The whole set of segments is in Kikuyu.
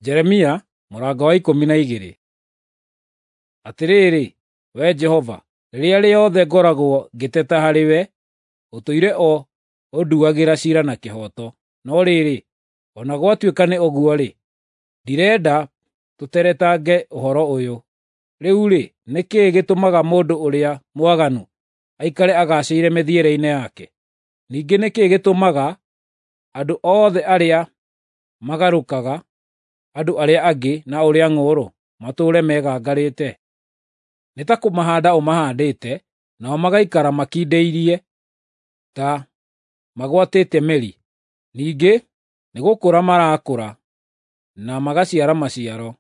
Jeremia mũrango wa 12. Atĩrĩrĩ, Wee Jehova, rĩrĩa rĩothe ngoragwo ngĩteta harĩwe, ũtũire o ũnduagĩra ciira na kĩhooto. No rĩrĩ, o na gwatuĩka nĩ ũguo-rĩ, ndirenda tũteretange ũhoro ũyũ. Rĩu-rĩ, nĩ kĩĩ gĩtũmaga mũndũ ũrĩa mwaganu aikare agaacĩire mĩthiĩre-inĩ yake? Ningĩ nĩ kĩĩ gĩtũmaga andũ othe arĩa magarũkaga andũ arĩa angĩ na ũrĩa ng'ũũrũ matũũre megangarĩte? Nĩ ta kũmahaanda ũmahaandĩte, nao magaikara makindĩirie ta magwatĩte mĩri. Ningĩ nĩgũkũra marakũra na magaciara maciaro.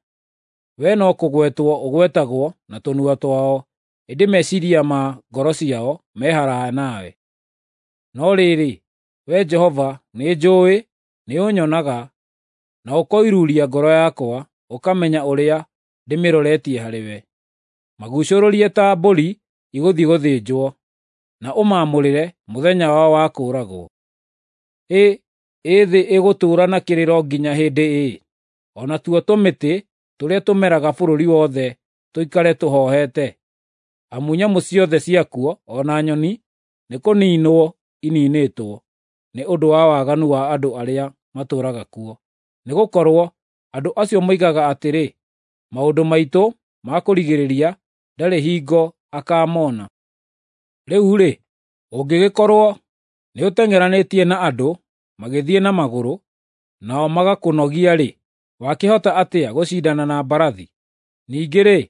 Wee no kũgwetwo ũgwetagwo na tũnua twao, ĩndĩ meciiria ma ngoro ciao me haraaya nawe. No rĩrĩ, Wee Jehova, nĩnjũũĩ, nĩũnyonaga, na ũkoiruuria ngoro yakwa, ũkamenya ũrĩa ndĩmĩroretie harĩwe. Maguucũrũrie ta mbũri igũthiĩ gũthĩnjwo, na ũmaamũrĩre mũthenya wao wa kũũragwo. Ĩ, ĩ thĩ ĩgũtũũra na kĩrĩro nginya hĩndĩ ĩ? O natuo tũmĩtĩ tũrĩa tũmeraga bũrũri wothe tũikare tũhohete? Amu nyamũ ciothe ciakuo, o na nyoni, nĩkũniinwo iniinĩtwo nĩ ũndũ wa waganu wa andũ arĩa matũũraga kuo. Nĩgũkorwo andũ acio moigaga atĩrĩ, “Maũndũ maitũ ma kũrigĩrĩria ndarĩ hingo akaamona.” Rĩu-rĩ, ũngĩgĩkorwo nĩũteng'eranĩtie na andũ magĩthiĩ na magũrũ, nao magakũnogia-rĩ, wakĩhota atĩa gũcindana na mbarathi? Ningĩ-rĩ,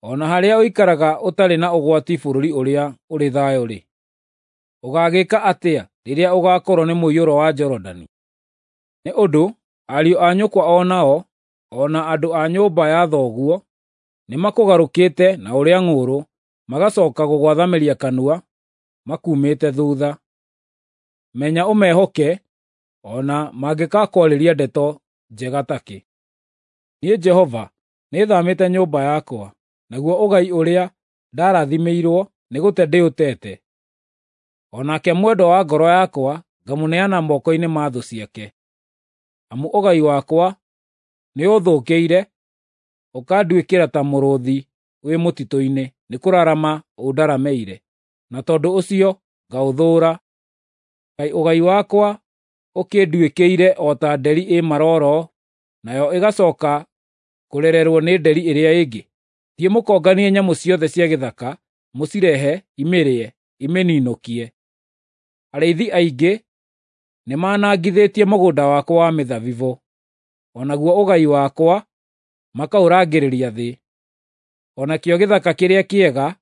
o na harĩa ũikaraga ũtarĩ na ũgwati bũrũri ũrĩa ũrĩ thayũ-rĩ, ũgaagĩka atĩa rĩrĩa ũgaakorwo nĩ mũiyũro wa Jorodani? Nĩ ũndũ ariũ a nyũkwa o nao, o na andũ a nyũmba ya thoguo, nĩmakũgarũkĩte na ũrĩa ng'ũũrũ, magacooka gũgwathamĩria kanua makuumĩte thuutha. Menya ũmehoke o na mangĩgakwarĩria ndeto njega takĩ. Niĩ Jehova nĩthaamĩte nyũmba yakwa, naguo ũgai ũrĩa ndarathimĩirwo nĩgũte ndĩũtete. O nake mwendwa wa ngoro yakwa ngamũneana moko-inĩ ma thũ ciake. Amu ũgai wakwa nĩũũthũkĩire, ũkanduĩkĩra ta mũrũũthi wĩ mũtitũ-inĩ, nĩkũrarama ũndaramĩire, na tondũ ũcio ngaũthũũra. Kaĩ ũgai wakwa ũkĩnduĩkĩire o ta nderi ĩ marooro, nayo ĩgacooka kũrererwo nĩ nderi ĩrĩa ĩngĩ? Thiĩ mũkonganie nyamũ ciothe cia gĩthaka, mũcirehe imĩrĩe, imĩninũkie. Arĩithi aingĩ nĩmanangithĩtie mũgũnda wakwa wa mĩthabibũ, o naguo ũgai wakwa makaũrangĩrĩria thĩ. O nakĩo gĩthaka kĩrĩa kĩega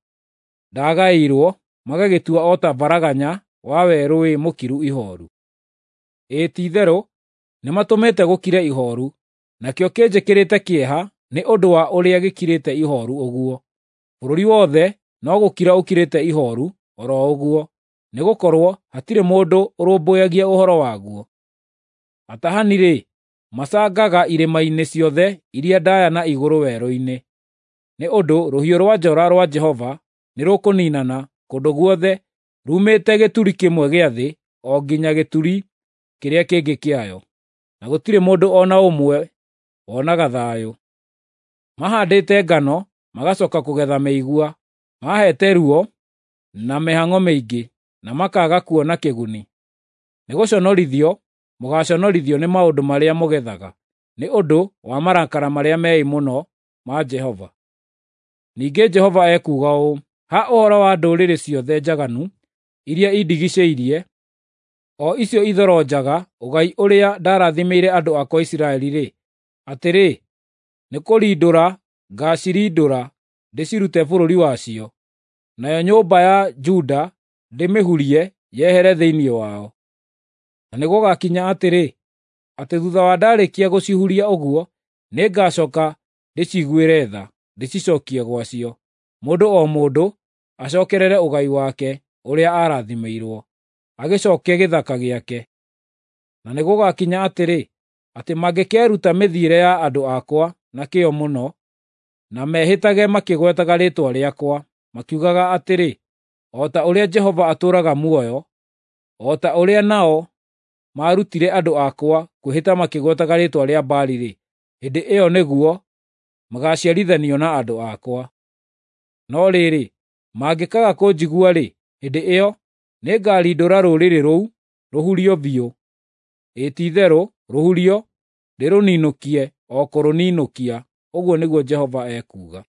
ndagaĩirwo magagĩtua o ta baraganya wa werũ wĩ mũkiru ihooru. Ĩĩ ti-itherũ nĩmatũmĩte gũkire ihooru, nakĩo kĩnjĩkĩrĩte kĩeha nĩ ũndũ wa ũrĩa gĩkirĩte ihooru ũguo. Bũrũri wothe no gũkira ũkirĩte ihooru o ro ũguo, nĩgũkorwo hatirĩ mũndũ ũrũmbũyagia ũhoro waguo. Atahani-rĩ, macangaga irĩma-inĩ ciothe iria ndaaya na igũrũ werũ-inĩ, nĩ ũndũ rũhiũ rwa njora rwa Jehova nĩrũkũniinana kũndũ guothe ruumĩte gĩturi kĩmwe gĩa thĩ o nginya gĩturi kĩrĩa kĩngĩ kĩayo, na gũtirĩ mũndũ o na ũmwe wonaga thayũ. Mahaandĩte ngano magacooka kũgetha mĩigua, maheete ruo na mĩhang'o mĩingĩ, na makaaga kuona kĩguni. Nĩgũconorithio mũgaaconorithio nĩ maũndũ marĩa mũgethaga, nĩ ũndũ wa marakara marĩa meĩ mũno ma Jehova. Ningĩ Jehova ekuuga ũũ: Ha ũhoro wa ndũrĩrĩ ciothe njaganu iria indigiicĩirie, o icio ithoronjaga ũgai ũrĩa ndarathimĩire andũ akwa Isiraeli-rĩ, atĩrĩ, nĩkũrindũra ngaacirindũra ndĩcirute bũrũri wacio, nayo nyũmba ya Juda ndĩmĩhurie yehere thĩinĩ wao. Na nĩgũgakinya atĩrĩ, atĩ thuutha wa ndaarĩkia gũcihuria ũguo, nĩngacooka ndĩciguĩre tha, ndĩcicookie gwacio, mũndũ o mũndũ acookerere ũgai wake ũrĩa aarathimĩirwo, agĩcooke gĩthaka gĩake. Na nĩgũgakinya atĩrĩ, atĩ mangĩkeruta mĩthiĩre ya andũ akwa na kĩyo mũno, na mehĩtage makĩgwetaga rĩĩtwa rĩakwa, makiugaga atĩrĩ, ‘O ta ũrĩa Jehova atũũraga muoyo,’ o ta ũrĩa nao maarutire andũ akwa kwĩhĩta makĩgwetaga rĩĩtwa rĩa Baali-rĩ, Hĩndĩ ĩyo nĩguo magaaciarithanio na andũ akwa. No rĩrĩ, mangĩkaaga kũnjigua-rĩ, hĩndĩ ĩyo nĩngarindũra rũrĩrĩ rũu rũhurio biũ, ĩĩ ti-itherũ rũhurio, ndĩrũninũkie o kũrũninũkia, ũguo nĩguo Jehova ekuuga.